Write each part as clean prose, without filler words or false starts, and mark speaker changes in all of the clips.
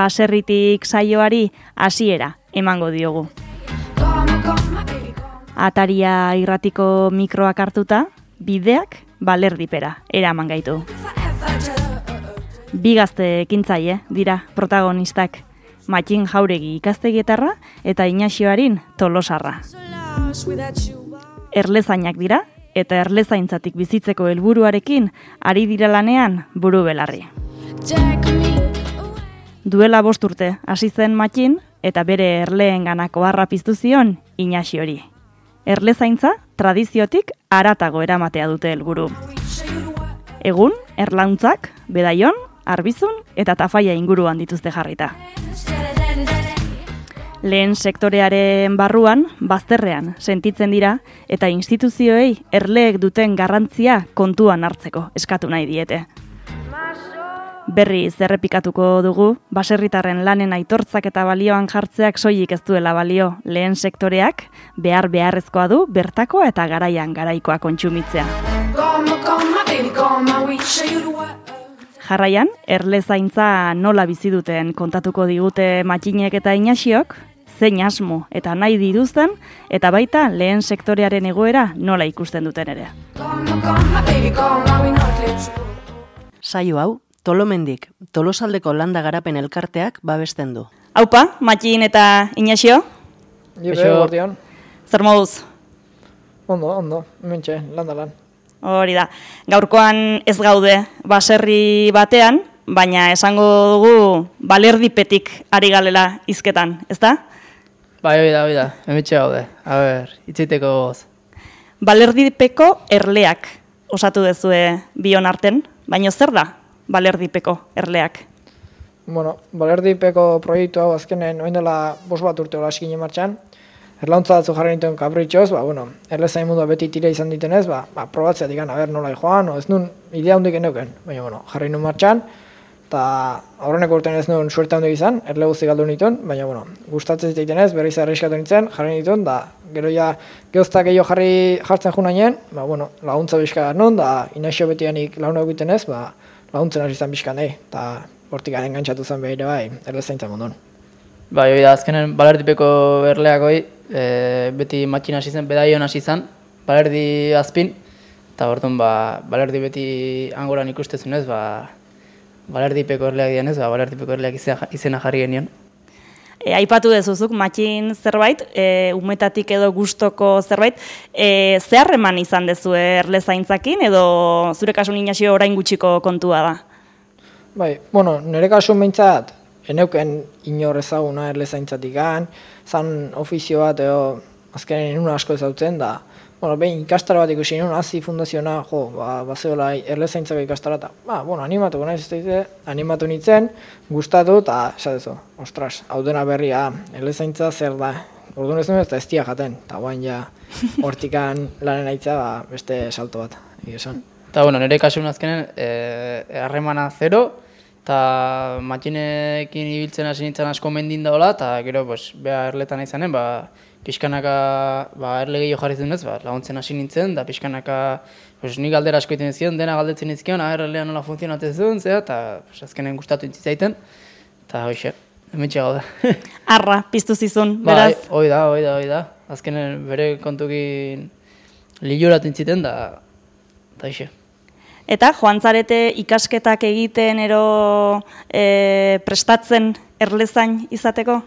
Speaker 1: baserritik saioari hasiera emango diogu. Ataria irratiko mikroak hartuta, bideak balerdipera eraman gaitu. Bi gazte ekintzaile dira protagonistak, Matxin Jauregi ikastegietarra eta Inaxioarin Tolosarra. Erlezainak dira eta erlezaintzatik bizitzeko helburuarekin ari dira lanean buru belarri. Duela 5 urte hasi zen Matxin eta bere erleenganako harra piztu zion Inaxiori. Erlezaintza tradiziotik haratago eramatea dute helburu. Egun, erlauntzak, Bedaion, Arbizun eta Tafaia inguruan dituzte jarrita. Lehen sektorearen barruan, bazterrean sentitzen dira eta instituzioei erleek duten garrantzia kontuan hartzeko eskatu nahi diete. Berriz errepikatuko dugu, baserritarren lanen aitortzak eta balioan jartzeak soilik ez duela balio, lehen sektoreak beharrezkoa du bertakoa eta garaian garaikoa kontsumitzea. Jarraian, erlezaintza nola bizi duten kontatuko digute Matxinek eta Inaxiok, zein asmo eta nahi dituzten, eta baita lehen sektorearen egoera nola ikusten duten ere.
Speaker 2: Saio hau, Tolomendik, Tolosaldeko Landa Garapen Elkarteak babesten du.
Speaker 1: Haupa, Matxin eta Inaxio?
Speaker 3: Guardian.
Speaker 1: Zer moduz?
Speaker 3: Ondo, mentxe, lan.
Speaker 1: Hori da, gaurkoan ez gaude baserri batean, baina esango dugu balerdipetik ari galela hizketan, ezta?
Speaker 4: Bai, hori da, hemetxe gaude. A ber, itzaiteko goz.
Speaker 1: Balerdipeko erleak osatu dezue bion arten, baina zer da balerdipeko erleak?
Speaker 3: Bueno, balerdipeko proiektu hau azkenen oin dela 5 urte hola eskine martxan. Erlauntza batzu jarri nituen kapritxoz, erlezain mundua beti tira izan ditenez, probatzea digan, nola joan, ez nun idea hundik eneuken, baina jarri nuen martxan, eta aurreneko urtean ez nuen suerte hundik izan, erle guzti galdu nituen, baina gustatzen ziteitenez, berriz arriskatu nintzen, jarri nituen, da gero ja geoztak gehiago jartzen junainen, laguntza bizka non, da Inaxio betianik launa egitenez, laguntzen hasi izan bizkan nahi, eta hortik garen gantzatu zen behire bai, erlezaintza munduan.
Speaker 4: Bai, hori da, azkenen balerdipeko erleak hoi, beti Matxin hasi zen, Bedaion hasi zen, balerdi azpin, eta orduan balerdi beti angoran ikustezunez, balerdipeko erleak dianez, balerdipeko erleak izena jarri genion.
Speaker 1: Aipatu dezuzuk, Matxin zerbait, umetatik edo gustoko zerbait, zeharreman izan dezu erlezaintzakin, edo zure kasun Inaxio orain gutxiko kontua da?
Speaker 3: Bai, nire kasun behintzat, eneuken inor ezaguna erlezaintzatik zan ofizio bat, azkenen inun asko ezautzen, da, behin ikastaro bat ikusi inun, hazi fundaziona, bazeola erlezaintzako ikastara, eta, animatuko nahiz ez daite, animatu nintzen, gustatu, eta, esatezu, ostras, hau dena berria, erlezaintza zer da, orduan ez nuen ez da ez tia jaten, eta guain ja, hortikan lanen aitza, beste salto bat, esan.
Speaker 4: Eta, nire kasun azkenen, harremana 0, eta Matxinekin ibiltzen hasi nintzen asko mendin daola, eta gero, beha erletan izanen, pixkanaka erle gehiago jarri zunez, laguntzen hasi nintzen, da pixkanaka nik galdera asko egiten zion, dena galdetzen izkion, erlea nola funtzionatzen zuen, eta azkenen gustatu intzizaiten, eta hoxe, hemetxe gauda.
Speaker 1: Arra, piztu zizun, beraz?
Speaker 4: Hoi da, azkenen bere kontukin liluratu intziten, da hoxe.
Speaker 1: Eta joan zarete ikasketak egiten ero prestatzen erlezain izateko?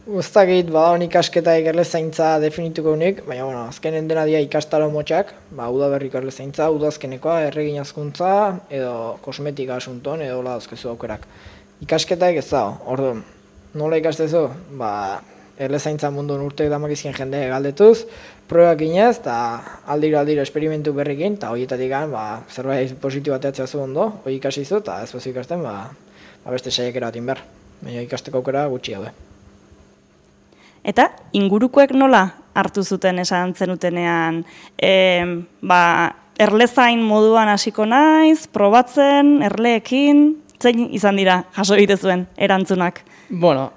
Speaker 3: Guztakit, badaun ikasketaik erlezaintza definituko unik, baina azkenen dena dia ikastaro motxak, udaberriko erlezaintza, udazkenekoa, erregin azkuntza, edo kosmetika asunton, edo hola dauzkezu aukerak. Ikasketaik ez da, orduan, nola ikastezu? Erlezaintza mundun urteak damakizkien jende galdetuz, probak inez, eta aldiro esperimentu berrikin, eta horietatik zerbait positibo ateatzea zu ondo, hori ikasi zu, eta ez bazu ikasten, beste saiakera batin behar. Baina ikasteko aukera gutxi daude.
Speaker 1: Eta ingurukoek nola hartu zuten esan zenutenean, erlezain moduan hasiko naiz, probatzen, erleekin, zein izan dira jaso egitezuen erantzunak?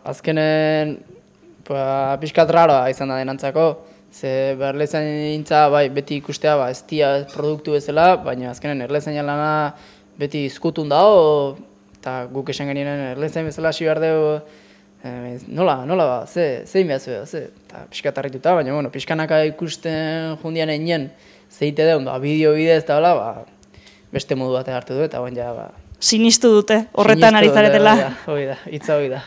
Speaker 4: Azkenen pixkat raroa izan da denantzako, ze erlezaintza beti ikustea ez dia produktu bezala, baina azkenen erlezaina lana beti izkutun dago, eta guk esan genien erlezain bezala hasi behar dugu, nola, zein behar zuen, eta pixkatarrituta, baina, bueno, pixkanaka ikusten jundian egin zeite deun, bideo bidez eta hola, beste modu bat hartu du, eta ja,
Speaker 1: Sinistu dute, horretan ari zaretela.
Speaker 4: Hoi da, hitza hoi da.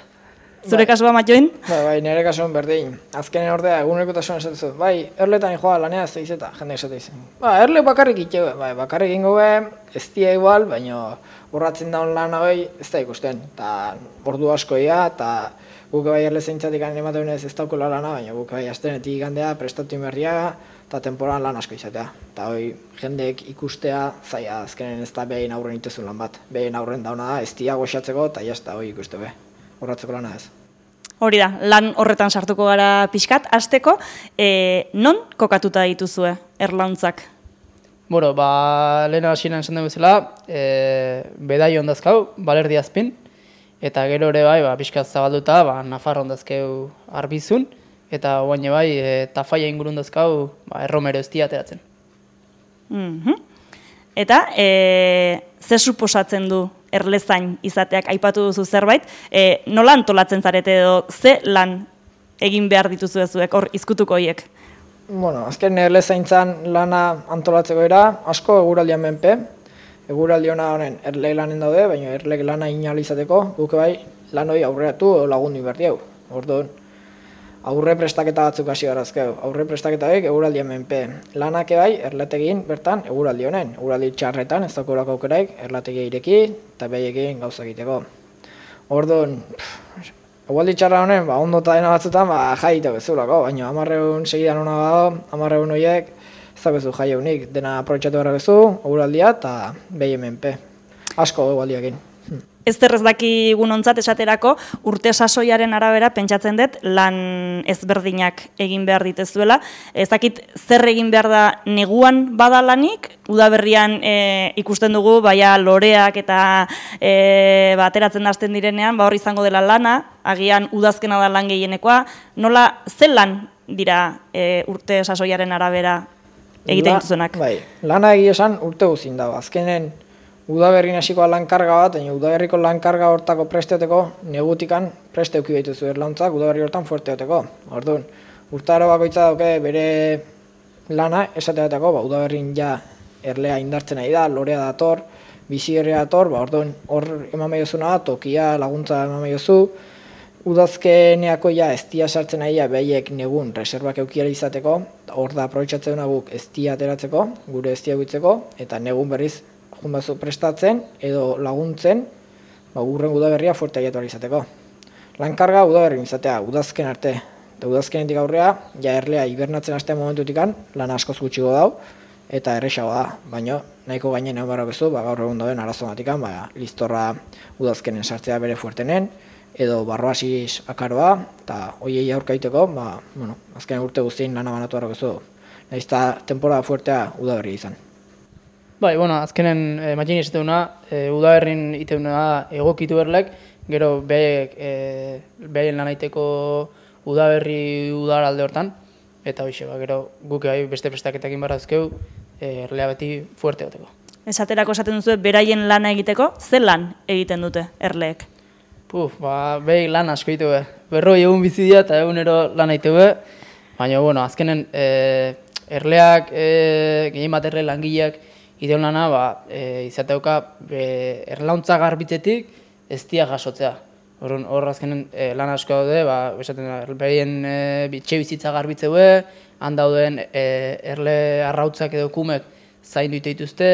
Speaker 1: Zure kasua, Matjoin?
Speaker 3: Bai, nire kasuan berdin. Azkenen ordea, egunekotasun esatezu. Bai, erletan joa lanea ez daizeta, jende esate izan. Erle bakarrik itxeu, bai, bakarrik ingo ez dia igual, baina borratzen daun lan hori ez da ikusten. Eta ordu asko ia, eta guk bai erle zeintzatik animatu ez daukula lana, baina guk bai astenetik igandea, prestatu inberria, eta temporan lan asko izatea. Eta hoi, jendeek ikustea, zaila azkenen ez da behin aurren itezun lan bat. Behin aurren dauna da, ez dia goxatzeko, eta jazta hoi ikuste be. Horratzeko lana ez.
Speaker 1: Hori da, lan horretan sartuko gara pixkat. Hasteko, non kokatuta dituzue erlauntzak?
Speaker 4: Bueno, lehen hasieran esan dugu bezala, bedai ondazkau, balerdi azpin, eta gero ere bai, pixkat zabalduta, Nafarro ondazkeu arbizun, eta guaine bai, Tafaia ingurun dazkau, erromero eztia ateratzen.
Speaker 1: Eta, ze suposatzen du erlezain izateak aipatu duzu zerbait, nola antolatzen zarete edo ze lan egin behar dituzu ezuek hor izkutuko hiek?
Speaker 3: Bueno, azken erlezaintzan lana antolatzeko era, asko eguraldian menpe, eguraldi hona honen erle lanen daude, baina erle lana inalizateko, guk bai lan hori aurreatu edo lagundu inberdi hau. Orduan, aurre prestaketa batzuk hasi garazkeu. Aurre prestaketa horiek eguraldian menpe. Lanak bai erlategin bertan eguraldi honen. Eguraldi txarretan ez daukako aukeraik erlategia ireki eta behaiekin gauza egiteko. Orduan, eguraldi txarra honen, ondo eta dena batzutan, jaitek bezulako, baina 1000 segidan hona bado, 1000 horiek ez dabezu jai haunik. Dena aprobetxatu gara bezu, eguraldia eta behien menpe. Asko eguraldiakin.
Speaker 1: Ez daki ontzat esaterako, urte sasoiaren arabera pentsatzen dut lan ezberdinak egin behar ditezuela. Ez dakit zer egin behar da neguan badalanik, udaberrian ikusten dugu, baina loreak eta ateratzen hasten direnean, hor izango dela lana, agian udazkena da lan gehienekoa, nola zen lan dira urte sasoiaren arabera egiten dituzunak?
Speaker 3: Bai, lana egia esan urte guzin dago, azkenen udaberrin hasiko lankarga bat, baina udaberriko lankarga hortako presteoteko negutikan preste euki behituzu erlauntzak udaberri hortan fuerteoteko. Orduan, urtaro bakoitza dauke bere lana esateatako, udaberrin ja erlea indartzen nahi da, lorea dator, bizi herria dator, orduan hor eman behizuna da, tokia laguntza eman behizu, udazkeneako ja ez dia sartzen nahi behaiek negun reserbak eukiara izateko, hor da aprobetxatzen duna guk ez dia ateratzeko, gure ez dia guitzeko, eta negun berriz junbazu prestatzen edo laguntzen urren udaberria fuerte aiatu izateko. Lankarga udaberrin izatea, udazken arte. Eta udazkenetik aurrea, ja erlea hibernatzen hastean momentutikan, lan askoz gutxigo dau, eta erresago da. Baina nahiko gainen egon barra bezu, gaur egun dauden arazomatikan, listorra udazkenen sartzea bere fuertenen, edo barroasiz akaroa, eta hoiei aurkaiteko, azken urte guztien lana banatu barra bezu. Nahiz eta temporada fuertea udaberria izan.
Speaker 4: Bai, azkenen Matjin esateuna, udaberrin iteuna egokitu berlek, gero behaien lan aiteko udaberri udar alde hortan, eta hoxe, gero guk beste prestaketekin barrazkeu, erlea beti fuerte goteko.
Speaker 1: Esaterako esaten duzu, beraien lana egiteko, ze lan egiten dute erleek?
Speaker 4: Behi lan asko egite be. Berroi egun bizi dira eta egunero lan egite be, baina, azkenen erleak, gehien bat erle langileak, ideon lana, izateuka erlauntza garbitzetik ez dia jasotzea. Hor azkenen lan asko daude, behien bitxe bizitza garbitzeue, han dauden erle arrautzak edo kumek zaindu dituzte,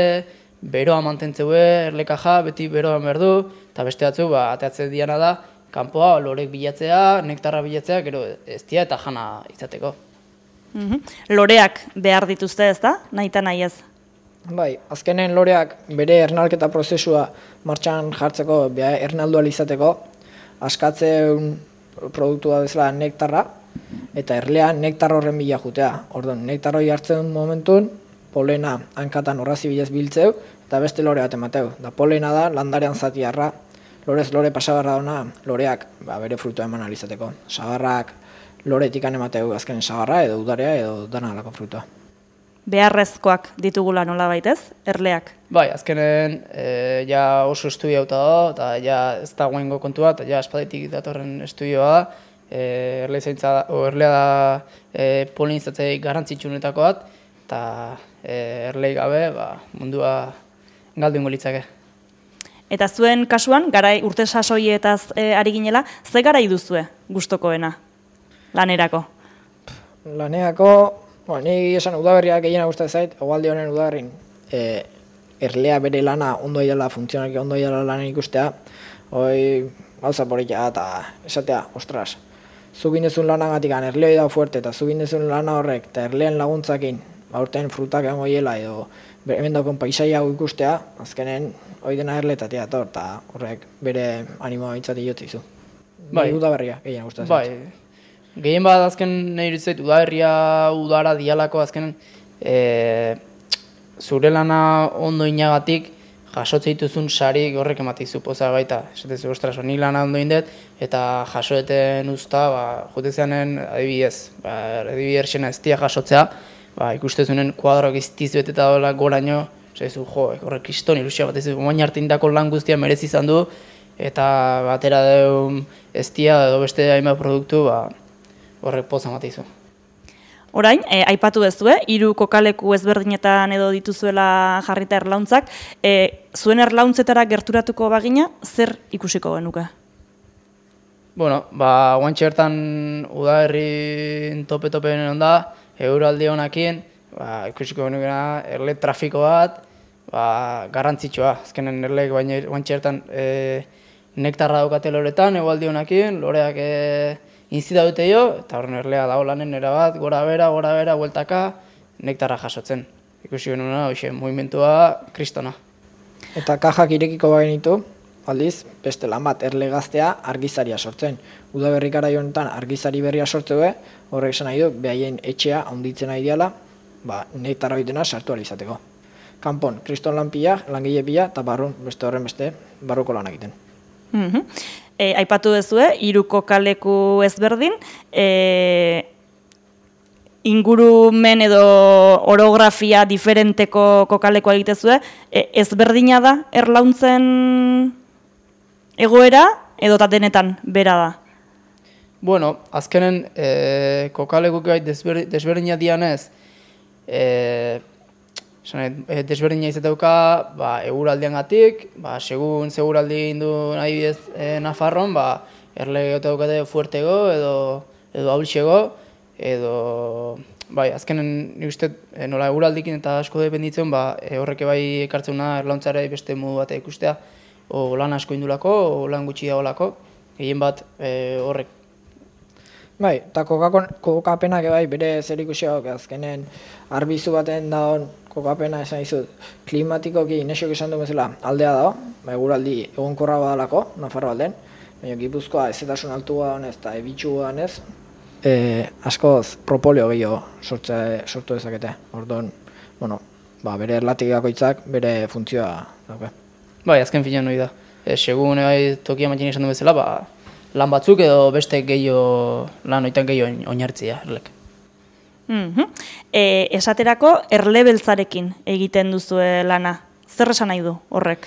Speaker 4: beroa mantentzeue, erle kaja, beti beroa berdu, eta beste batzu, ateatzen diana da, kanpoa lorek bilatzea, nektarra bilatzea, gero ez dia eta jana izateko.
Speaker 1: Loreak behar dituzte ez da, nahi eta nahi ez?
Speaker 3: Bai, azkenen loreak bere ernalketa prozesua martxan jartzeko, ernaldu izateko, askatzen produktua bezala nektarra, eta erlea nektar horren bila jutea. Orduan, nektar hori hartzen momentun, polena hankatan horrazi bilez biltzeu, eta beste lore bat emateu. Da polena da landarean zatiarra, lorez lore pasagarra dauna, loreak bere frutua eman alizateko. Sagarrak loretik emateu azkenen sagarra, edo udarea, edo dana alako frutua.
Speaker 1: beharrezkoak ditugula nolabait ez, erleak.
Speaker 4: Bai, azkenen ja oso estudiauta da, eta ja ez dagoengo kontua, eta ja aspalditik datorren estudioa da. Erlea da polinizatzeik garrantzitsuenetako bat, eta erlei gabe mundua galdu ingo litzake.
Speaker 1: Eta zuen kasuan, urte sasoietaz ari ginela, ze garai duzue gustokoena lanerako?
Speaker 3: Lanerako, ni esan udaberriak gehiena gustatzen zait, hegoalde honen udaberrin erlea bere lana ondo idala, funtzionalki ondo idala lanen ikustea, hoi gauza politia eta esatea, ostras, zugin dezun lanagatik erleoi da fuerte eta zugin dezun lana horrek eta erleen laguntzakin aurten frutak egongo hiela edo hemen daukon paisaia hau ikustea, azkenen hoi dena erletatea etor eta horrek bere animoa bintzati jotzizu. Bai, udaberria gehiena gustatzen zait.
Speaker 4: Bai. Gehien bat azken nahi iruditzait, udaberria udara dialako azken zure lana ondo inagatik jasotze dituzun sarik horrek ematizu poza baita. Esatezu, ostras, nik lana ondo indet eta jasoeten usta, jotezeanen adibidez, erxena ez dia jasotzea, ikustezunen kuadroak iztizu eta goraino, esatezu, horrek kriston ilusia bat ez du, moin hartindako lan guztia merezi izan du, eta batera deun ez dia edo beste hainbat produktu, horrek poza matizu.
Speaker 1: Orain, aipatu dezue, 3 kokaleku ezberdinetan edo dituzuela jarrita erlauntzak, zuen erlauntzetara gerturatuko bagina, zer ikusiko genuke?
Speaker 4: Bueno, guantxe bertan udaberrin tope-topen onda, euraldi honakin, ikusiko genukena erle trafiko bat, garrantzitsua. Azkenen erleek guantxe bertan nektarra daukate loretan, egualdi honakin, loreak inzita dute jo, eta horren erlea dago lanen erabat, gora bera, bueltaka, nektarra jasotzen. Ikusi genuna, movimentua kristona.
Speaker 3: Eta kajak irekiko bagenitu, aldiz, beste lan bat erle gaztea argizaria sortzen. Udaberri garai honetan argizari berria sortze horrek esan nahi du, behaien etxea handitzen nahi diala, nektarra bitena sartu izateko. Kanpon, kriston lan pila, langile pila, eta barrun, beste horren beste, barruko lan egiten.
Speaker 1: Aipatu dezue, 3 kokaleku ezberdin, ingurumen edo orografia diferenteko kokalekoa egitezue, ezberdina da erlauntzen egoera edo denetan bera da?
Speaker 4: Bueno, azkenen kokalekuk desberdina dianez, desberdina izateuka eguraldiangatik, segun seguraldi egin du nahi bidez Nafarron, erle gehiago fuertego edo haulxego, edo azkenen nik uste nola eguraldikin eta asko dependitzen, horrek bai ekartzena erlauntzara beste modu bat ikustea, o lan asko indulako, o lan gutxi dagoelako, gehien bat horrek.
Speaker 3: Eta kokapenak bere zer ikusiak, azkenen arbizu baten dagoen kokapena esan izut, klimatikoki inesok esan du bezala aldea dago, eguraldi egonkorra badalako, Nafarro alden, baina Gipuzkoa ezetasun altua honez eta ebitxu honez, askoz propolio gehiago sortu dezakete. Orduan, bere erlatik bere funtzioa dauke.
Speaker 4: Azken finean hori da. Segun tokia matxin esan du bezala, lan batzuk edo beste lan oitan gehiago oinartzia erlek.
Speaker 1: Esaterako erle beltzarekin egiten duzue lana. Zer esan nahi du horrek?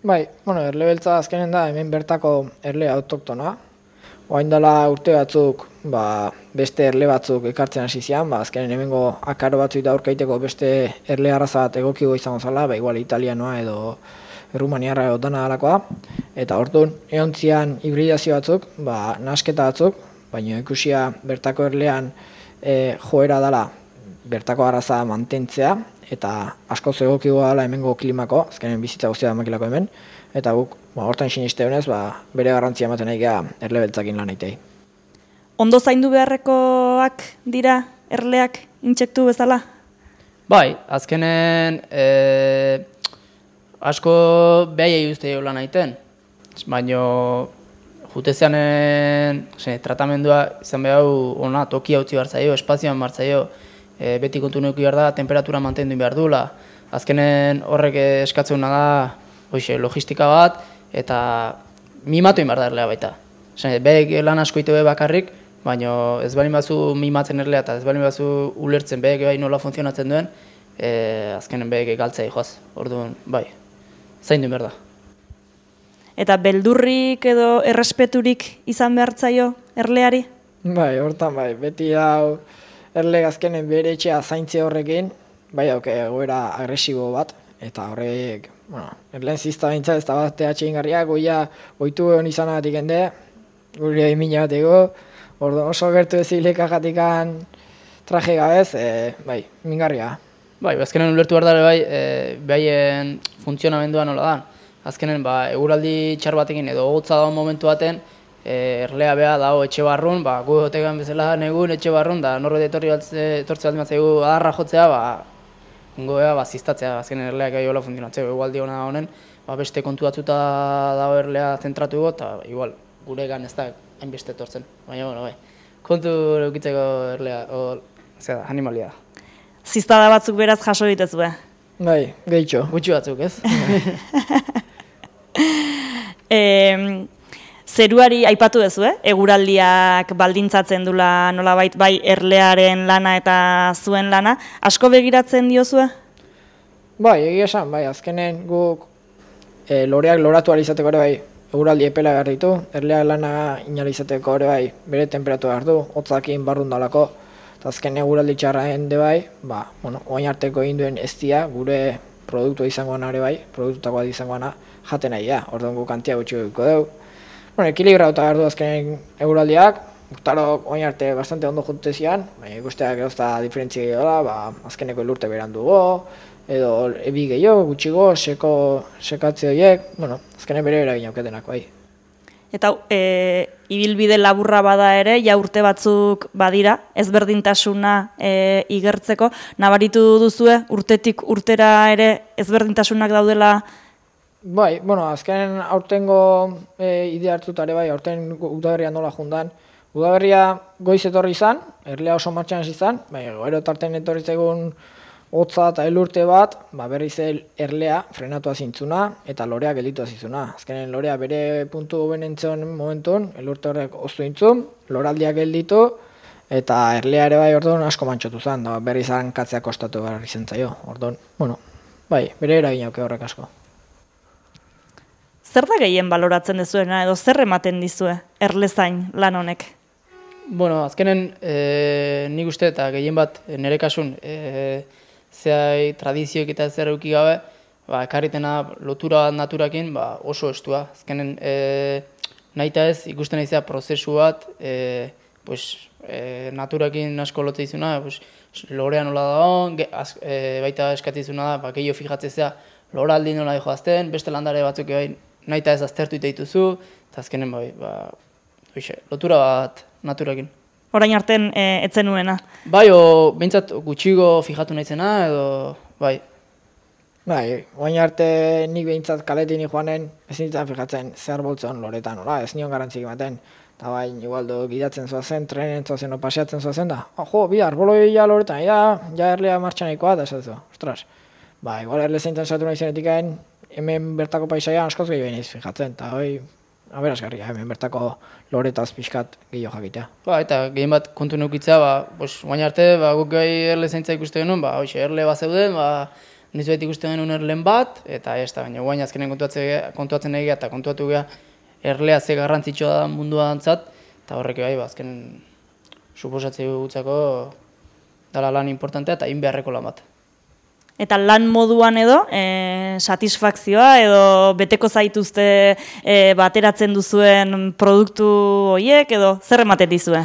Speaker 3: Erle beltza azkenen da hemen bertako erle autoktona. Oain dela urte batzuk, beste erle batzuk ekartzen hasi zian, azkenen hemengo akaro batzuk da aurkaiteko beste erle arraza bat egokigo izango zala, igual italianoa edo errumaniarra edo dana alakoa. Eta orduan, egon zian hibridazio batzuk, nasketa batzuk, baina ikusia bertako erlean joera dela bertako arraza mantentzea, eta asko egokigo dela hemengo klimako, azkenen bizitza guztia makilako hemen, eta guk, hortan siniste honez, bere garrantzia ematen nahi geha erle beltzakin lan egitei.
Speaker 1: Ondo zaindu beharrekoak dira erleak intsektu bezala?
Speaker 4: Azkenen asko behaiei uste lan egiten, baina jutezeanen tratamendua izan behar ona tokia utzi behar zaio, espazioan behar zaio, beti kontu neuki behar da, temperatura mantendu behar duela. Azkenen horrek eskatzen da logistika bat, eta mimatu behar da erlea baita. Behek lan asko ite bakarrik, baina ez balin bazu mimatzen erlea eta ez balin bazu ulertzen behek bai nola funtzionatzen duen, azkenen behek galtzea joaz. Orduan, bai, zaindu behar da.
Speaker 1: Eta beldurrik edo errespeturik izan behartzaio erleari?
Speaker 3: Bai, hortan bai, beti hau erle azkenen bere etxea zaintze horrekin, bai hauke egoera agresibo bat, eta horrek, bueno, erleen zizta bintza ez da bat atxegingarriak, goia oitu egon izanagatik ende, gure emina bateko, orduan oso gertu ezileka jatikan traje gabez, bai, mingarria.
Speaker 4: Bai, azkenen ulertu behar dara bai, behaien funtzionamendua nola da. Azkenen, eguraldi txar batekin edo hotza daun momentu baten, erlea beha dago etxe barrun, gu otegan bezala negun etxe barrun, da norbait etortze baldin batzaigu adarra jotzea, ungo beha ziztatzea, azkenen erleak gai hola funtzionatzea, egualdi hona honen, beste kontu batzuta dago erlea zentratu ego, eta igual, gure gan ez da hainbeste etortzen, baina, bueno, bai, kontu eukitzeko erlea, animalia da.
Speaker 1: Ziztada batzuk beraz jaso ditezue.
Speaker 3: Bai, gehitxo.
Speaker 4: Gutxi batzuk, ez?
Speaker 1: Zeruari aipatu duzu, eguraldiak baldintzatzen dula nolabait bai erlearen lana eta zuen lana, asko begiratzen diozue?
Speaker 3: Bai, egia esan, bai, azkenen guk loreak loratu izateko ere bai, eguraldi epela behar ditu, erleak lana inalizateko ere bai, bere temperatu behar du, hotzakin barrun dalako, eta azken eguraldi txarra hende bai, oain arteko egin duen ez dia, gure produktua izangoana ere bai, produktutakoa izangoana jaten nahi da, orduan guk kantia gutxi dugu dugu. Ekilibrauta behar du azkenen eguraldiak, urtarok oain arte bastante ondo juntezian, baina ikusteak erosta diferentzia gehiagoa, azkeneko elurte beran dugu, edo ebi gehiago, gutxigo, sekatze horiek, azkenen bere eragin auketenak bai.
Speaker 1: Eta ibilbide laburra bada ere, ja urte batzuk badira, ezberdintasuna igertzeko, nabaritu duzue, urtetik urtera ere ezberdintasunak daudela?
Speaker 3: Bai, azkenen aurtengo idea hartutare bai, aurten udaberria nola jundan. Udaberria goiz etorri izan, erlea oso martxan izan, gero tarten etorri zegoen hotza eta elurte bat, berriz erlea frenatua zintzuna eta lorea gelditua zintzuna. Azkenen lorea bere puntu benentzen momentun, elurte horrek oztu intzun, loraldiak gelditu eta erlea ere bai orduan asko mantxotu zen, berriz hankatzea kostatu behar izan zaio. Orduan, bere eragin auke horrek asko.
Speaker 1: Zer da gehien baloratzen dezuena edo zer ematen dizue erlezain lan honek?
Speaker 4: Azkenen nik uste eta gehien bat nire kasun zehai tradizioek eta zer euki gabe, ekarritena lotura bat naturakin oso estua. Azkenen nahita ez ikusten naizea prozesu bat naturakin asko lote izuna, lorea nola da baita eskatizuna da, gehiago fijatzezea loraldi nola joazten, beste landare batzuk nahita ez aztertu iteituzu, eta azkenen lotura bat naturakin.
Speaker 1: Orain arten etzen nuena?
Speaker 4: Bai, behintzat gutxigo fijatu naizena, edo bai.
Speaker 3: Bai, orain arte nik behintzat kaletin joanen ez nintzen fijatzen zer boltzen loretan, ez nion garantzik ematen. Eta bain, igualdo gidatzen zoazen, trenen zoazen, paseatzen zoazen da. Bi arboloi ja loretan, ja erlea martxanekoa, da esatzu, ostras. Igual erle zeintzen zatu nahi zenetikaen, hemen bertako paisaia askoz gehiago nahiz fijatzen, eta aberazgarria, hemen bertako loretaz pixkat gehiago jakitea.
Speaker 4: Eta gehien bat kontu neukitza, baina arte, guk gai erle zeintza ikuste genuen, erle bat zeuden, nizuet ikuste genuen erlen bat, eta ez da, baina guain azkenen kontuatzen egia eta kontuatu geha erlea ze garrantzitsua da mundua dantzat, eta horrek bai, azkenen suposatzea gutzako dala lan importantea eta beharreko lan bat.
Speaker 1: Eta lan moduan edo, satisfakzioa edo beteko zaituzte bateratzen duzuen produktu horiek edo zer ematen dizue?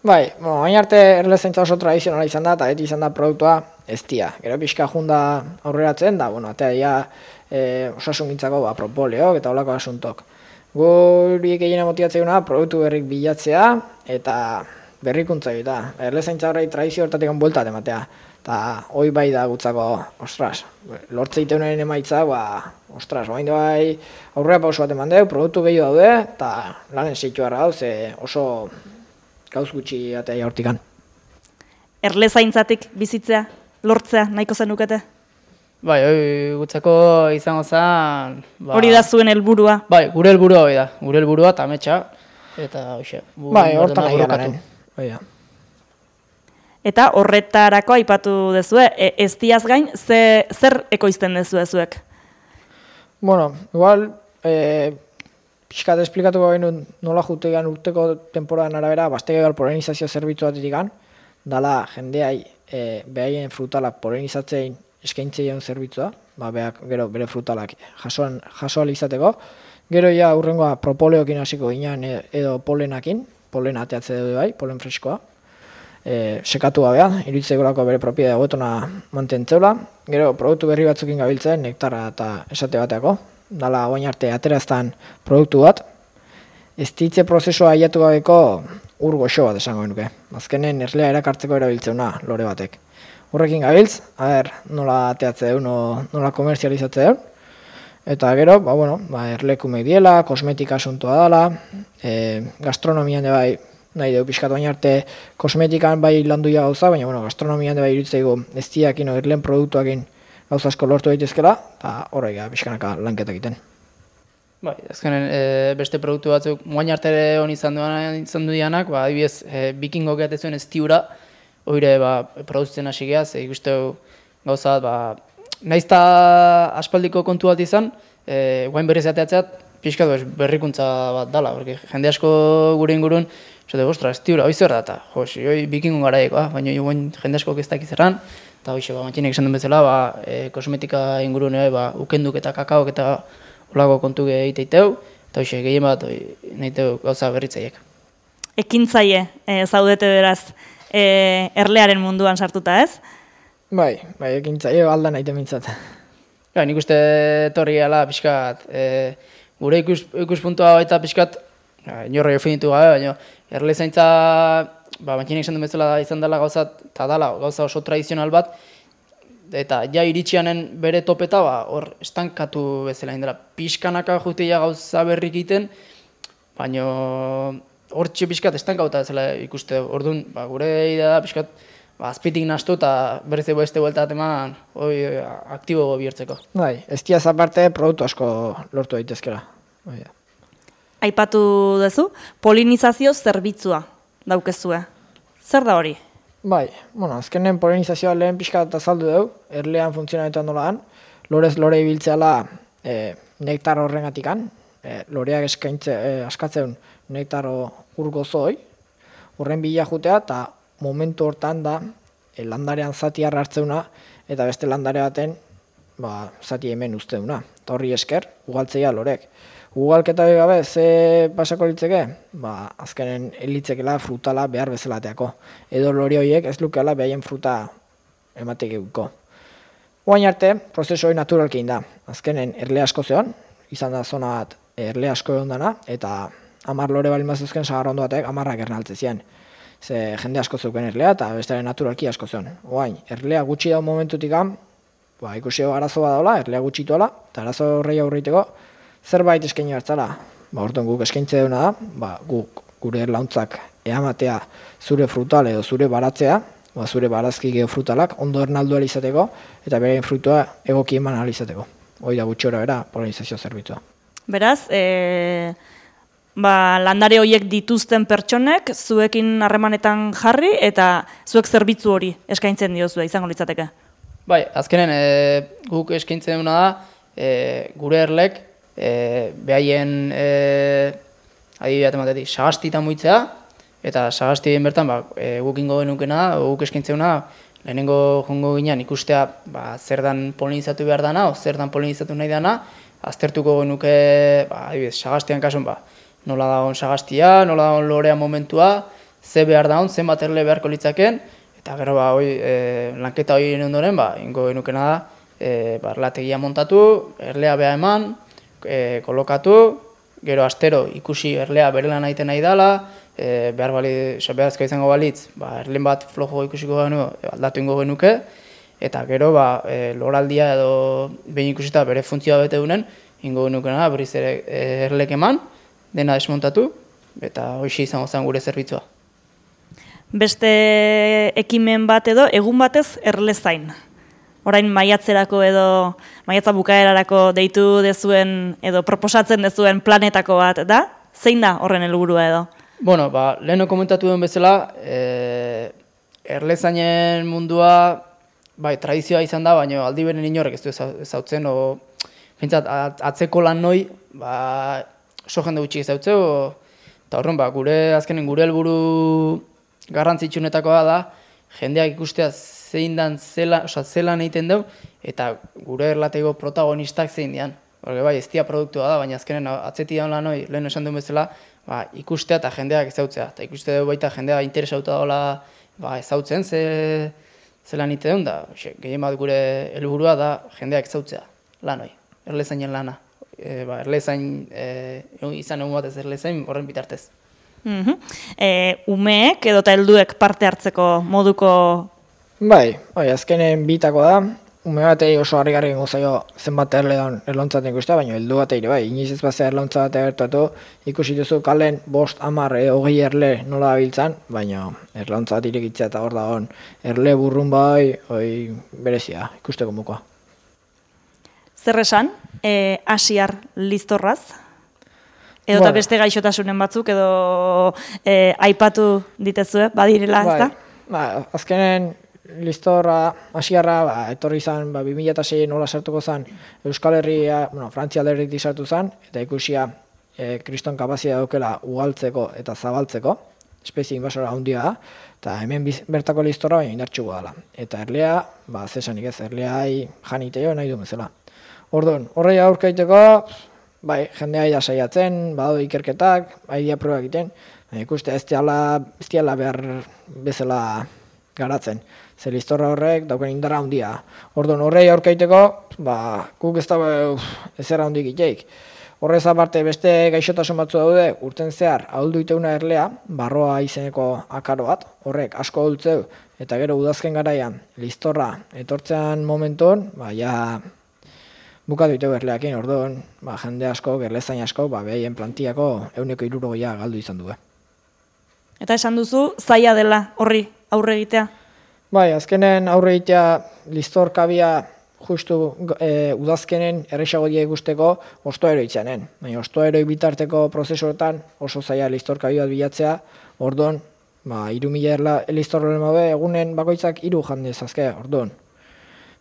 Speaker 3: Bai, hain arte erle zeintza oso tradizionala izan da eta beti izan da produktua ez dia. Gero pixka junda aurreratzen da, osasungintzako propoleok eta olako asuntok. Guri gehiena motibatzeuna produktu berrik bilatzea eta berrikuntza eta erle zeintza horrei tradizio hortatik bueltat ematea. Eta hoi bai da gutzako, ostras, lortzeiteunaren emaitza, ostras, oain bai aurrera pauso bat eman deu, produktu gehiago daude, eta lanen zeitu harra hau, ze oso gauz gutxi atea jaurtikan.
Speaker 1: Erle zaintzatik bizitzea, lortzea, nahiko zenukete?
Speaker 4: Bai, gutzako izango zen...
Speaker 1: Hori da zuen helburua?
Speaker 4: Bai, gure helburua hori da, gure helburua eta ametsa, eta hoxe.
Speaker 3: Bai, hortan nahi garen.
Speaker 1: Eta horretarako aipatu dezue, eztiaz gain, zer ekoizten dezue zuek?
Speaker 3: Bueno, igual, pixkat esplikatuko genuen nola jutegan urteko temporadan arabera, bastege gal polinizazio zerbitzu bat itikan, dala jendeai behaien frutalak polinizatzein eskaintzeion zerbitzua, beak gero bere frutalak jasoal izateko, gero ja urrengoa propoleokin hasiko ginen edo polenakin, polen ateatze dugu bai, polen freskoa, sekatu gabea, iruditzegorako bere propiedade hobetona mantentzeula, gero produktu berri batzukin gabiltzen, nektara eta esate bateako, dala oain arte ateraztan produktu bat, ez ditze prozesua aiatu gabeko ur goxo bat esango genuke. Azkenen erlea erakartzeko erabiltzeuna lore batek. Horrekin gabiltz, nola ateatze du, nola komerzializatze du, eta gero, erlekume diela, kosmetika asuntoa dela, gastronomian de bai, nahi dugu pixkat baina arte kosmetikan bai landuia gauza, baina gastronomian de bai irutzeigu ez diakin o erlen produktuakin gauza asko lortu daitezkela, eta horrega pixkanaka lanketak egiten.
Speaker 4: Bai, azkenen beste produktu batzuk moain arte hon izan duanak, adibidez, bikingo gehatezuen ez tiura, oire produzitzen hasi geha, ze ikusteu gauza bat, naizta aspaldiko kontu bat izan, guain berriz ateatzeat, pixkat berrikuntza bat dala, porque jende asko gure ingurun, esate, ostra, ez tiura, hoi zer da, eta hoi bikingon garaieko, baina guain jende asko ez dakiz erran, eta hoxe, matxinek esan duen bezala, kosmetika ingurun, ukenduk eta kakaok eta olako kontu egiteiteu, eta hoxe, gehien bat nahiteu gauza berritzaiek.
Speaker 1: Ekintzaile zaudete beraz erlearen munduan sartuta, ez?
Speaker 3: Bai, ekintzaile alda nahi temintzat.
Speaker 4: Nik uste torri gala pixkat, gure ikuspuntua baita pixkat, inorra jofinitu gabe, baina erle zaintza, matxinek esan duen bezala izan dela gauza, eta dela gauza oso tradizional bat, eta ja iritsianen bere topeta, hor estankatu bezala indela. Pixkanaka juteia gauza berrik egiten, baina hor pixkat estankauta bezala ikuste. Orduan, gure idea da pixkat azpitik nastu eta berriz beste bueltat eman aktibo bihurtzeko.
Speaker 3: Bai, ez diaz aparte produktu asko lortu daitezkela.
Speaker 1: Aipatu duzu, polinizazio zerbitzua daukezue. Zer da hori?
Speaker 3: Bai, azkenen polinizazioa lehen pixka eta azaldu dugu, erlean funtzionaretan dolaan, lorez lore ibiltzeala nektar horrengatikan, loreak askatzen nektar urgozoi, horren bila jutea eta momentu hortan da landarean zati hartzeuna eta beste landare baten zati hemen usteuna. Eta horri esker, ugaltzeia lorek. Ugalketa gabe ze pasako litzeke? Azkenen elitzekela frutala behar bezalateako. Edo lori horiek ez lukeala behaien fruta ematek eguko. Oain arte, prozesu hori naturalkein da. Azkenen erle asko zeon, izan da zona bat erle asko egon dana, eta 10 lore balin bazuzken sagar ondo batek 10 ernaltze zian. Ze jende asko zeuken erlea eta bestearen naturalki asko zeon. Oain, erlea gutxi daun momentutik ikusi arazo bat daula, erlea gutxituala, eta arazo horrei aurriteko zerbait eskaini hartzala. Orduan guk eskaintze duna da, guk gure erlauntzak eamatea zure frutal edo zure baratzea, zure barazki geofrutalak ondo ernaldu izateko eta berein frutua egoki eman izateko. Hoi da gutxi hori bera polinizazio zerbitzua.
Speaker 1: Beraz, landare horiek dituzten pertsonek zuekin harremanetan jarri eta zuek zerbitzu hori eskaintzen diozue izango litzateke.
Speaker 4: Bai, azkenen guk eskaintzen duna da gure erlek behaien adibidea ematetik sagastitan muitzea eta sagastien bertan guk ingo genukena, guk eskaintzen duna lehenengo jongo ginean ikustea zer dan polinizatu behar dana, o zer dan polinizatu nahi dana, aztertuko genuke adibidez sagastian kasun nola dagoen sagastia, nola dagoen lorea momentua, ze behar dagoen, zenbat erle beharko litzaken, eta gero lanketa hori ondoren, ingo genukena da, erlategia montatu, erlea beha eman, kolokatu, gero astero ikusi erlea berelan egiten nahi dela, beharazko izango balitz, erlen bat flojo ikusiko genu, aldatu ingo genuke, eta gero loraldia edo behin ikusita bere funtzioa bete dunen, ingo genukena berriz erlek eman, dena desmontatu, eta hoxe izango zen gure zerbitzua.
Speaker 1: Beste ekimen bat edo, egun batez erlezain. Orain maiatzerako edo maiatza bukaerarako deitu dezuen edo proposatzen dezuen planetako bat da? Zein da horren helburua edo?
Speaker 4: Bueno, leheno komentatu duen bezala, erlezainen mundua, bai, tradizioa izan da, baina aldi beren inorrek ez du ezautzen, pentsat, atzeko lan noi, oso jende gutxik ezautzeu, eta horren, azkenen gure helburu garrantzitsunetakoa da, jendeak ikustea zelan egiten dugu, eta gure erlateko protagonistak zein dian. Horre, bai, ez dia produktua da, baina azkenen atzeti daun lan hori, lehen esan duen bezala, ikustea eta jendeak ezautzea. Eta ikuste dugu baita jendea interesauta daula ezautzen zelan egiten duen, da gehien bat gure helburua da jendeak ezautzea lan hori, erlezainen lana. Erlezain, izan egun batez erlezain horren bitartez.
Speaker 1: Umeek edo eta helduek parte hartzeko moduko...
Speaker 3: Bai, azkenen bitako da, ume batei oso harrigarri gengo zaio zenbat erle daun erlauntzat ikustea, baina heldu batei bai, inoiz ez bazea erlauntza bat gertatu, ikusi duzu kalen 5, 10, 20 erle nola dabiltzan, baina erlauntza bat irekitzea eta hor dagoen erle burrun bai, berezia, ikusteko mokoa.
Speaker 1: Zer esan, Asiar Listorraz? Edo eta beste gaixotasunen batzuk, edo aipatu ditezue, badirela, ez da?
Speaker 3: Azkenen Listorra, Asiarra, etorri izan, 2006 nola sartuko zen Euskal Herria, Frantzia alderdik sartu zen, eta ikusia kriston kapazia daukela ugaltzeko eta zabaltzeko, espezie invasora handia da, eta hemen bertako Listorra baina indartxuko dela. Eta erlea, zesanik ez, erleai janiteio nahi du bezala. Orduan, horrei aurkaiteko, bai, jendea da saiatzen, badaude ikerketak, aidia proba egiten, ikuste ez diala behar bezala garatzen. Ze Listorra horrek dauken indarra handia. Orduan, horrei aurkaiteko, guk ez dago ezer handik iteik. Horrez aparte beste gaixotasun batzu daude, urten zehar ahuldu iteuna erlea, barroa izeneko akaro bat, horrek asko ahultzeu, eta gero udazken garaian Listorra etortzean momentuan, bukatu iteu erleakin, orduan, jende asko, erlezain asko, behien plantiako 160 galdu izan du.
Speaker 1: Eta esan duzu, zaila dela horri aurre egitea?
Speaker 3: Bai, azkenen aurre egitea Listor kabia justu udazkenen erresago die ikusteko ostoeroi itzanen. Baina ostoeroi bitarteko prozesuetan oso zaila Listor kabi bat bilatzea, orduan, 3.000 Listor lemabe egunen bakoitzak 3 jandez azke, orduan.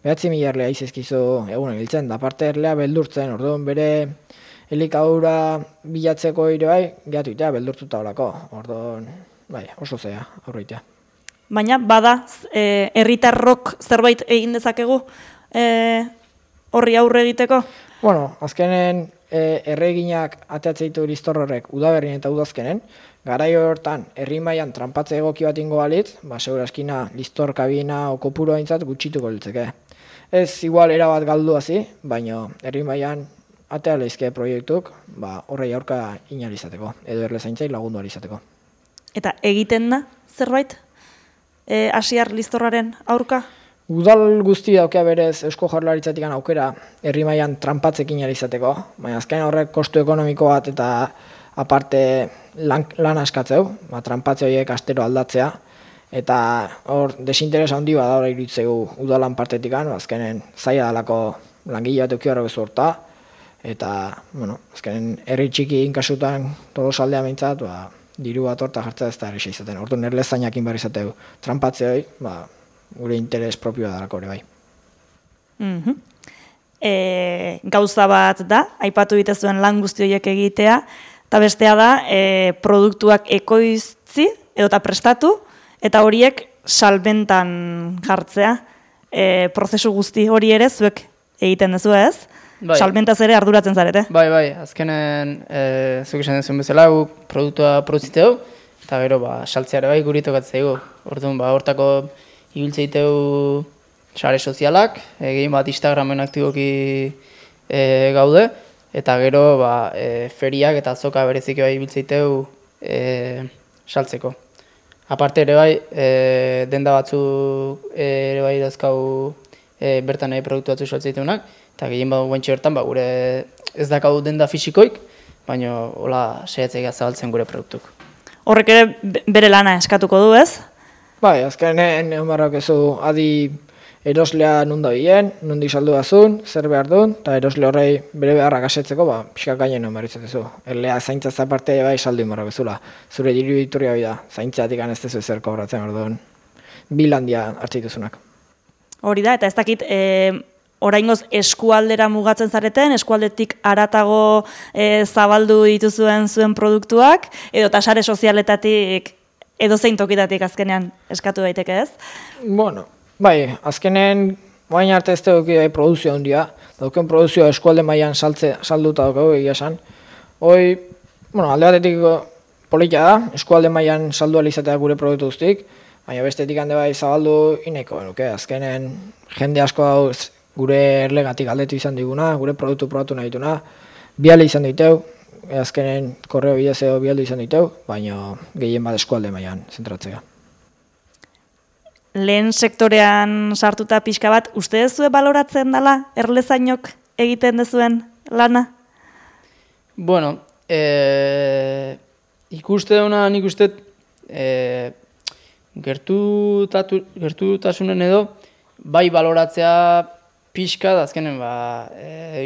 Speaker 3: 9.000 erlea izizkizu egunen hiltzen, da parte erlea beldurtzen, orduan bere elikadura bilatzeko ere bai, gehatu itea beldurtuta horako, orduan, oso zea, aurreitea.
Speaker 1: Baina, bada, herritarrok zerbait egin dezakegu horri aurre egiteko?
Speaker 3: Bueno, azkenen erreginak ateatzen ditu Listor horrek udaberrien eta udazkenen, garaio hortan herri mailan tranpatze egoki bat ingo balitz, seguraskina Listor kabina o kopuru aintzat gutxituko litzeke. Ez igual erabat galdu hazi, baina herri mailan atea leizke proiektuk, horrei aurka inalizateko, edo erlezaintzai lagundu alizateko.
Speaker 1: Eta egiten da zerbait? Asiar Listorraren aurka?
Speaker 3: Udal guzti daukea berez Eusko Jaurlaritzatik aukera herri mailan tranpatzekin alizateko, baina azken horrek kostu ekonomiko bat eta aparte lan askatzeu, tranpatze horiek astero aldatzea, eta hor desinteres handi bat da iruditzegu udalan partetik, azkenen zaila dalako langile bat eukibarro bezu horta, eta, azkenen herri txiki inkasutan Tolosaldea behintzat, diru bat horta jartzea ez da erresa izaten. Orduan erlezainakin behar izateu tranpatze hori, gure interes propioa dalako ere bai.
Speaker 1: Gauza bat da, aipatu bitezuen lan guzti horiek egitea, eta bestea da, produktuak ekoiztzi edo eta prestatu, eta horiek salbentan jartzea. Prozesu guzti hori ere zuek egiten dezu ez? Bai. Salmentaz ere arduratzen zarete?
Speaker 4: Bai, azkenen zuk esan dezuen bezala, guk produktua produziteu, eta gero saltzea ere bai guri tokatzeigu. Orduan, hortako ibiltzeiteu sare sozialak, egin bat Instagramen aktiboki gaude, eta gero feriak eta azoka berezik bai ibiltzeiteu saltzeko. Aparte ere bai, denda batzuk ere bai dazkau bertan produktu batzu saltzeiteunak, eta gehien badu guentxe hortan, gure ez dakau denda fisikoik, baina hola saiatzea zabaltzen gure produktuk.
Speaker 1: Horrek ere bere lana eskatuko du, ez?
Speaker 3: Bai, azkenen egon barrak ezu adi eroslea nunda bilen, nundi saldu bazun, zer behar duen, eta erosle horrei bere beharrak asetzeko, pixka gainen egon barritzatezu. Erlea zaintzaz aparte bai saldu inbarrak ezula. Zure diru diturria bida, zaintzatik ez dezu ezer kobratzen orduan. bilandia hartzituzunak.
Speaker 1: Hori da, eta ez dakit, oraingoz eskualdera mugatzen zareten, eskualdetik haratago zabaldu dituzuen zuen produktuak, edo sare sozialetatik edo zein tokitatik azkenean eskatu daiteke ez?
Speaker 3: Bueno, bai, azkenen bain arte ez dugu produzio handia, dauken produzioa eskualde mailan salduta dugu egia esan. Hoi, bueno, alde batetik politia da, eskualde mailan saldu alizatea gure produktu guztik, baina bestetik hande bai zabaldu ineko benuke, azkenen jende asko hau gure erlegatik aldetu izan diguna, gure produktu probatu nahi dituna, biale izan diteu, azkenen korreo bidez edo bialdu izan diteu, baina gehien bat eskualde mailan zentratzea.
Speaker 1: Lehen sektorean sartuta pixka bat, uste dezue baloratzen dela erlezainok egiten dezuen lana?
Speaker 4: Bueno, ikuste duna nik uste gertutasunen edo bai baloratzea pixka, azkenen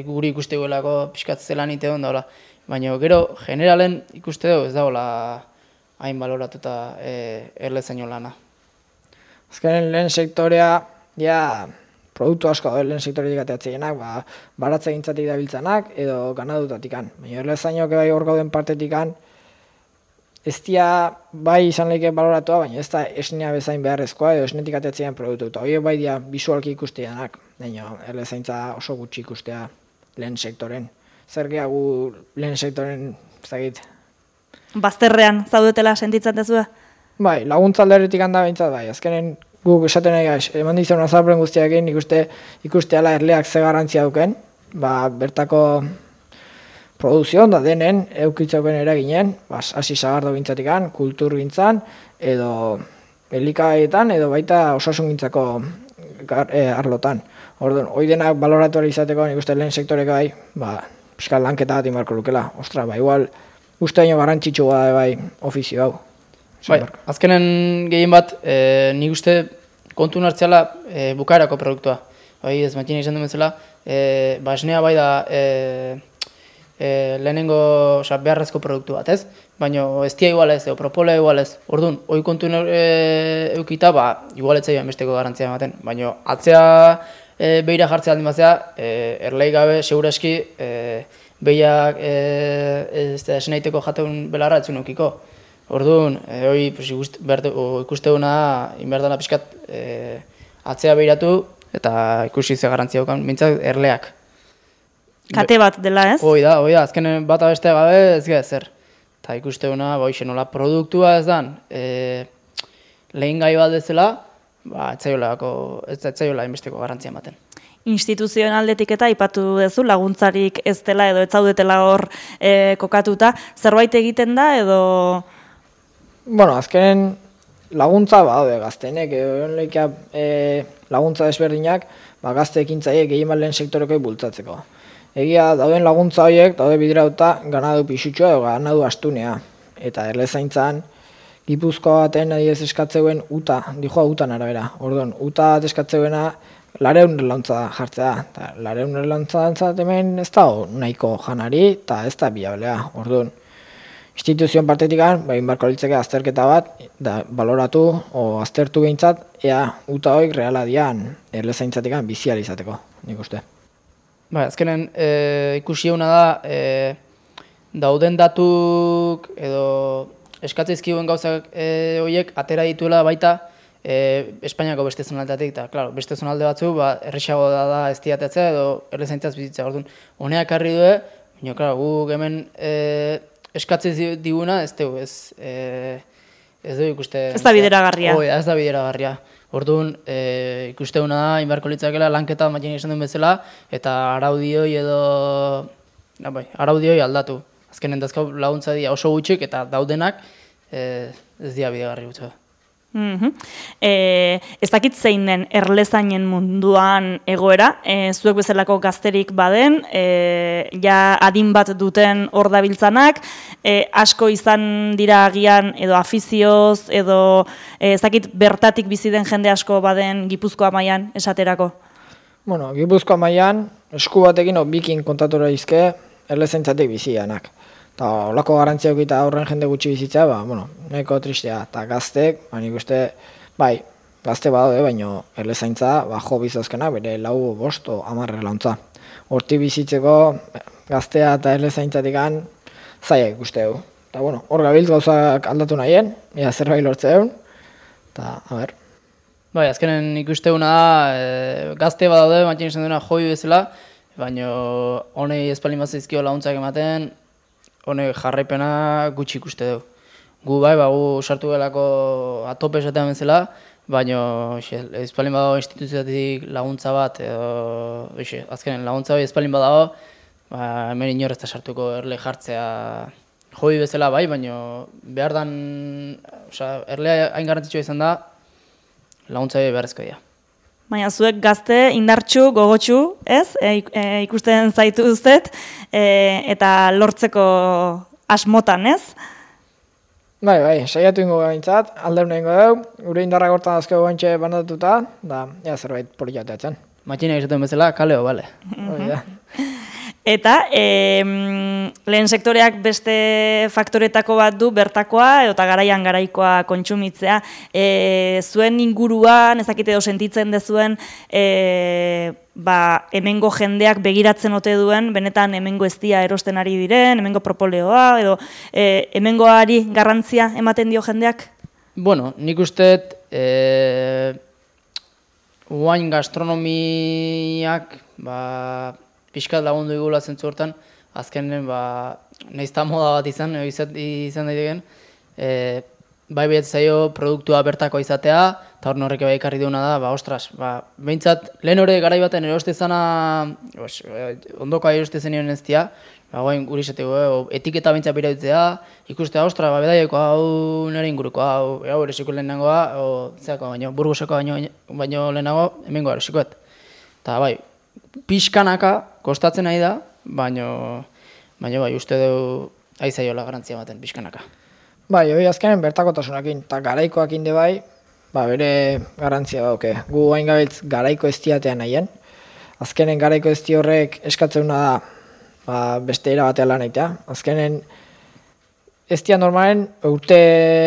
Speaker 4: guri ikuste guelako pixkat zelan ite hon daula. Baina gero generalen ikuste dugu ez dagoela hain baloratuta erlezaino lana.
Speaker 3: Azkenen lehen sektorea, produktu asko da lehen sektoretik ateatzeienak, baratze gintzatik dabiltzanak edo ganadutatikan. Baina erlezainok bai hor gauden partetikan, ez dia bai izan lehike baloratua, baina ez da esnea bezain beharrezkoa edo esnetik ateatzean produktu. Eta horiek bai dia bisualki ikusteanak, baina erlezaintza oso gutxi ikustea lehen sektoren. Zer gehiago lehen sektoren, ez dakit.
Speaker 1: Bazterrean zaudetela sentitzen dezue?
Speaker 3: Bai, laguntza alderetik handa behintzat bai, azkenen guk esaten nahi gaiz, eman dizuen azalpen guztiakin ikusteala erleak ze garrantzia duken, bertako produzioan da denen eukitzauken eraginen, hasi sagardo gintzatikan, kultur gintzan, edo elikaetan, edo baita osasun gintzako arlotan. Orduan, hoi denak baloratu izateko nik uste lehen sektoreko bai, pixka lanketa bat inbarko lukela. Ostra, igual, uste baino garrantzitsua da bai ofizio hau.
Speaker 4: Bai, azkenen gehien bat, nik uste kontu hartziala bukaerako produktua. Bai, ez matxina izan duen bezala, esnea bai da lehenengo beharrezko produktu bat, ez? Baina ez dia igual ez, propola igual ez. Orduan, hoi kontu eukita, igual etzai besteko garantzia ematen. Baina atzea behira jartzea aldin batzea, erlei gabe, seguraski, behiak esnaiteko jateun belarra etzun eukiko. Orduan, ikuste duna, inberdana pixkat atzea behiratu eta ikusi ze garantzia dukan, mintzak erleak.
Speaker 1: Kate bat dela ez?
Speaker 4: Hoi da, azkenen bata bestea gabe ez gara zer. Eta ikuste duna, nola produktua ez dan, lehen gai bat dezela, ez zaiola inbesteko garantzia ematen.
Speaker 1: Instituzionaldetik eta aipatu duzu laguntzarik ez dela edo ez zaudetela hor kokatuta, zerbait egiten da edo...
Speaker 3: Bueno, azkenen laguntza badaude gazteenek, laguntza desberdinak gazte ekintzaiek gehien lehen sektoreko bultzatzeko. Egia dauden laguntza horiek daude bideratuta ganadu pixutxoa edo ganadu astunea. Eta erlezaintzan Gipuzkoa baten adiez eskatzeuen uta, dijoa utan arabera. Orduan, uta eskatzeuena lareun erlauntza jartzea. Lareun erlauntza hemen ez da nahiko janari eta ez da biablea. Orduan, instituzioen partetikan, inbarko litzeke azterketa bat, baloratu o aztertu behintzat, ea uta hoik reala dian erlezaintzatikan bizializateko, nik uste.
Speaker 4: Azkenen ikusi eguna da, dauden datuk edo eskatzeizkiguen gauzak horiek atera dituela baita Espainiako beste zonaldeatik, eta claro, beste zonalde batzu errexago da ez diatetzea edo erlezaintzaz bizitzea. Orduan, honeak harri du, baina claro, guk hemen eskatzez diguna ez dugu, ez dugu ikuste...
Speaker 1: Ez da bideragarria.
Speaker 4: Ez da bideragarria. Orduan, ikusteuna da, inbarko litzakela lanketa matxin izan duen bezala, eta araudioi edo... araudioi aldatu. Azkenen dazkau laguntza dira oso gutxik, eta daudenak ez dira bidegarri gutxo.
Speaker 1: Ez dakit zein den erlezainen munduan egoera, zuek bezalako gazterik baden, adin bat duten hor dabiltzanak, asko izan dira agian edo afizioz, edo ez dakit bertatik bizi den jende asko baden Gipuzkoa mailan esaterako?
Speaker 3: Bueno, Gipuzkoa mailan esku batekin bikin kontatura izke erlezaintzatik bizianak. Eta olako garantzia eta aurren jende gutxi bizitza, nahiko tristea. Eta gaztek, nik uste, gazte badaude, baino erlezaintza jo bizazkena bere 4, 5 o 10 erlauntza. Horti bizitzeko gaztea eta erlezaintzatik zaila ikuste dugu. Eta bueno, hor gabiltz gauzak aldatu nahien, zerbait lortzeun, eta
Speaker 4: Bai, azkenen ikusteuna da, gazte badaude, Matxin esan duena joi bezala, baina honei espalin bat zaizkio laguntzak ematen, honek jarraipena gutxi ikuste dugu. Gu bai, gu sartu gelako atope esatean bezala, baina espalin badago instituzioatik laguntza bat, azkenen laguntza bai espalin badago, hemen inor ez da sartuko erle jartzea joi bezala bai, baina behar dan, erlea hain garrantzitsua izan da, laguntza beharrezko dira.
Speaker 1: Baina zuek gazte, indartsu, gogotsu, ez? Ikusten zaitu uztet, eta lortzeko asmotan, ez?
Speaker 3: Bai, saiatu ingo gaintzat, aldeun egingo dugu, gure indarrak hortan azkego gantxe bandatuta, da, zerbait politiateatzen.
Speaker 4: Matxina esaten bezala, kaleo, bale.
Speaker 1: Eta lehen sektoreak beste faktoretako bat du bertakoa eta garaian garaikoa kontsumitzea. Zuen inguruan, ezakite edo sentitzen dezuen, hemengo jendeak begiratzen ote duen, benetan hemengo eztia erosten ari diren, hemengo propoleoa, edo hemengoari garrantzia ematen dio jendeak?
Speaker 4: Bueno, nik usteet uain gastronomiak, pixkat lagundu igula zentzu hortan, azkenen, nahiz eta moda bat izan daiteken, bai behatzen zaio produktua bertako izatea, eta hor horrek bai ekarri duena da, ostras, behintzat, lehen hori garai baten eroste zana, ondokoa eroste zenioen ez dira, goain guri esateko, etiketa behintzat birautzea, ikustea, ostra, bedaieko hau nire inguruko, hau erosiko lehenagoa, baino, burguseko baino lehenago, hemengo erosikoet. Eta bai, pixkanaka kostatzen nahi da, baina bai, uste dugu aizaiola garantzia ematen pixkanaka.
Speaker 3: Bai, hori azkenen bertakotasunakin, eta garaikoak inde bai, bere garantzia dauke. Gu hain gabiltz garaiko eztiatea nahien. Azkenen garaiko ezti horrek eskatzeuna da beste erabatea lan egitea. Azkenen eztia normalen urte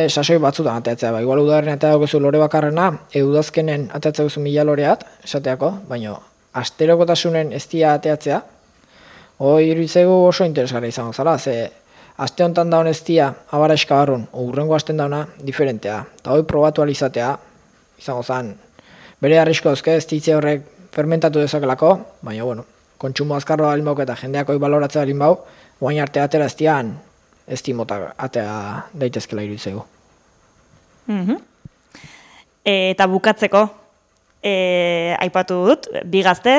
Speaker 3: sasoi batzutan ateatzea. Igual udarren atea daukezu lore bakarrena, udazkenen ateatzea guzu 1000 loreat, esateako, baina asterokotasunen eztia ateatzea, hori iruditzegu oso interesgarri izango zara, ze aste honetan daun eztia abara eskabarrun, urrengo asten dauna diferentea, eta hori probatu alizatea, izango zan, bere arrisko dauzke eztitze horrek fermentatu dezakelako, baina, bueno, kontsumo azkarroa balin bauk eta jendeak hori baloratzea balin bau, guain arte atera eztian, eztimota atea daitezkela iruditzegu.
Speaker 1: Eta bukatzeko, aipatu dut, bi gazte,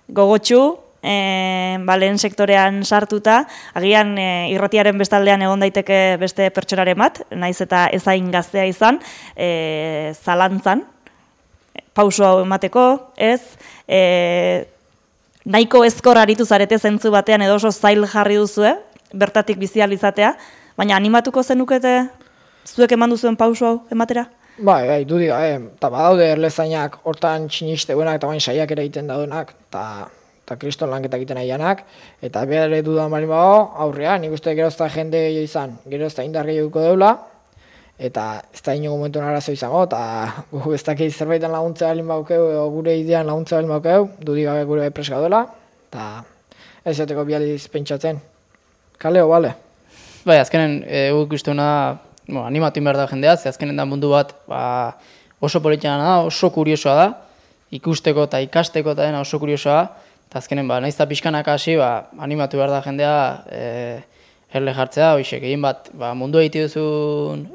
Speaker 1: gogotsu, lehen sektorean sartuta, agian irratiaren bestaldean egon daiteke beste pertsonaren bat, naiz eta ezain gaztea izan, zalantzan, pauso hau emateko, ez, nahiko ezkor aritu zarete zentzu batean edo oso zail jarri duzue, bertatik bizializatea, baina animatuko zenukete zuek eman duzuen pauso hau ematera?
Speaker 3: Bai, dudik, eta badaude erlezainak hortan txinisteuenak eta bain saiak ere egiten daudenak, eta kriston lanketak egiten nahianak, eta behar ere dudan bali bago, aurrean, nik uste gerozta jende gehiago izan, gerozta indar gehiago deula, eta ez da inogu momentuen arazo izango, eta gu ez dakit zerbaitan laguntza balin baukeu, gure idean laguntza balin baukeu, dudik gabe gure preska dela, eta ez jateko bializ pentsatzen. Kaleo, bale?
Speaker 4: Bai, azkenen, guk usteuna, animatu behar da jendea, ze azkenen da mundu bat oso politiana da, oso kuriosoa da, ikusteko eta ikasteko eta dena oso kuriosoa, eta azkenen nahiz eta pixkanaka hasi, animatu behar da jendea erle jartzea, hoxek, egin bat mundu egite duzun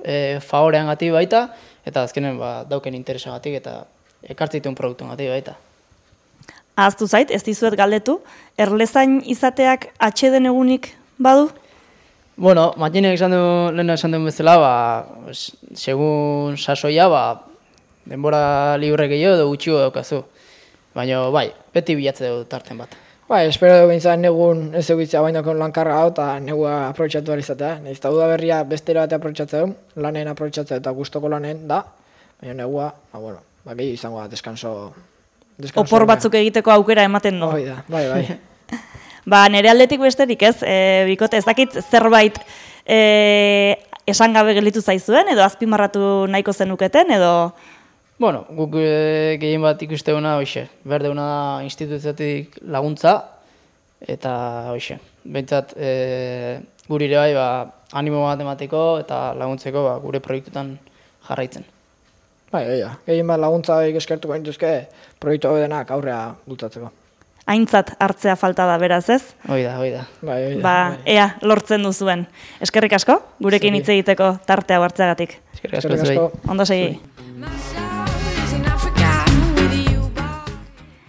Speaker 4: favorean gati baita, eta azkenen dauken interesagatik eta ekartzituen produktuen gati baita.
Speaker 1: Ahaztu zait, ez dizuet galdetu, erlezain izateak atxeden egunik badu?
Speaker 4: Bueno, Matxinek lehen esan duen bezala, segun sasoia, denbora libre gehiago edo gutxiago daukazu. Baina, bai, beti bilatze dugu tarten bat.
Speaker 3: Bai, espero dugu bintzat negun ez egitzea bainakon lankarra hau eta negua aprobetxatu alizatea. Nahiz eta udaberria bestera batea aprobetxatzea du, lanen aprobetxatzea eta gustoko lanen da, baina negua, gehiago izango da, deskanso.
Speaker 1: Opor batzuk egiteko aukera ematen du.
Speaker 3: Hoi da, bai.
Speaker 1: Nire aldetik besterik ez, bikote ez dakit zerbait esan gabe gelditu zaizuen, edo azpimarratu nahiko zenuketen, edo
Speaker 4: Bueno, guk gehien bat ikusteuna hoxe, berdeuna da instituziotik laguntza, eta hoxe, behintzat guri ere bai animo bat emateko eta laguntzeko gure proiektutan jarraitzen.
Speaker 3: Bai, gehien bat laguntza eskertuko nituzke proiektu hau denak aurrea bultatzeko.
Speaker 1: Aintzat hartzea falta da beraz ez?
Speaker 4: Hoi da.
Speaker 1: Bai. Ea, lortzen duzuen. Eskerrik asko, gurekin hitz egiteko tartea hartzeagatik.
Speaker 4: Eskerrik asko.
Speaker 1: Ondo segi.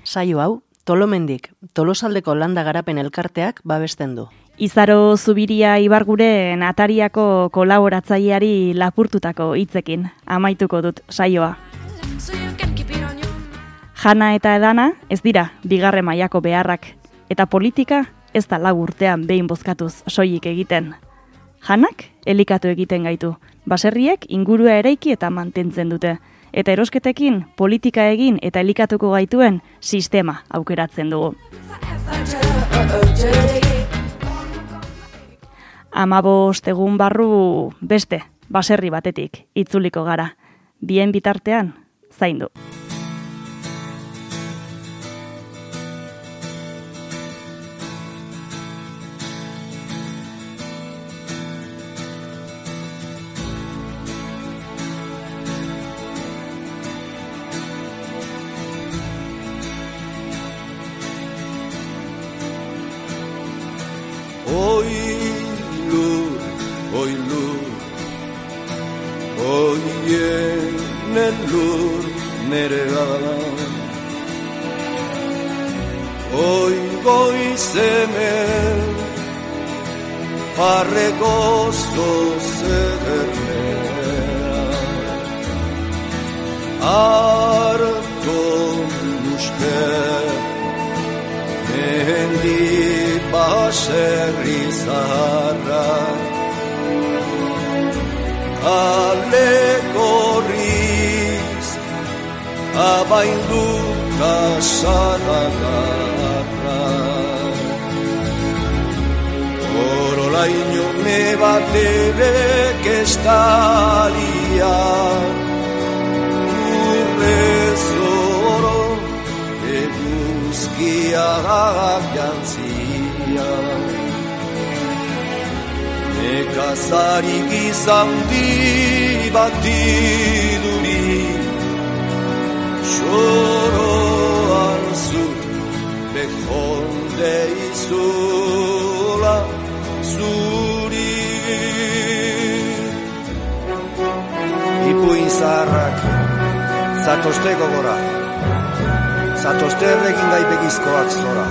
Speaker 2: Saio hau, Tolomendik, Tolosaldeko Landa Garapen Elkarteak babesten du.
Speaker 1: Izaro Zubiria Ibarguren Atariako kolaboratzaileari lapurtutako hitzekin amaituko dut saioa. Jana eta edana ez dira bigarren mailako beharrak, eta politika ez da lau urtean behin bozkatuz soilik egiten. Janak elikatu egiten gaitu, baserriek ingurua eraiki eta mantentzen dute, eta erosketekin politika egin eta elikatuko gaituen sistema aukeratzen dugu. 15 egun barru beste baserri batetik itzuliko gara, bien bitartean zaindu.
Speaker 5: Oien lur nerea Oi goizemen Parregozko zedernea Arto nuske Mehendi baserri zaharra Alekorriz abaindu kasanagarra Orolaino nebaterek estalia Urrezoro eguzkiak jantzia Nekazarik izan bati duri Xoroan zu bejonde izula zuri Ipuin zaharrak zatozteko gora Zatozterrekin gaipegizkoak zora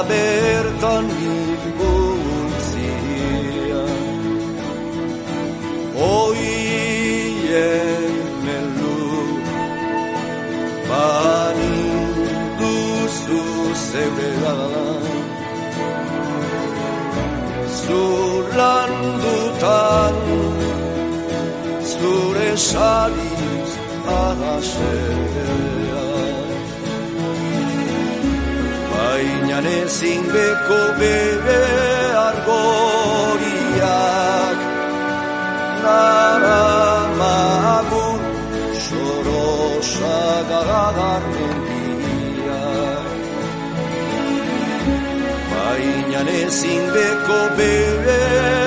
Speaker 5: bertan bilguntzia Oien elu baninduzu zebera Zulandutan zure sariz ahasea Baina ezin beko bere argoriak Naramagun xorosagar mendiak Baina ezin beko bere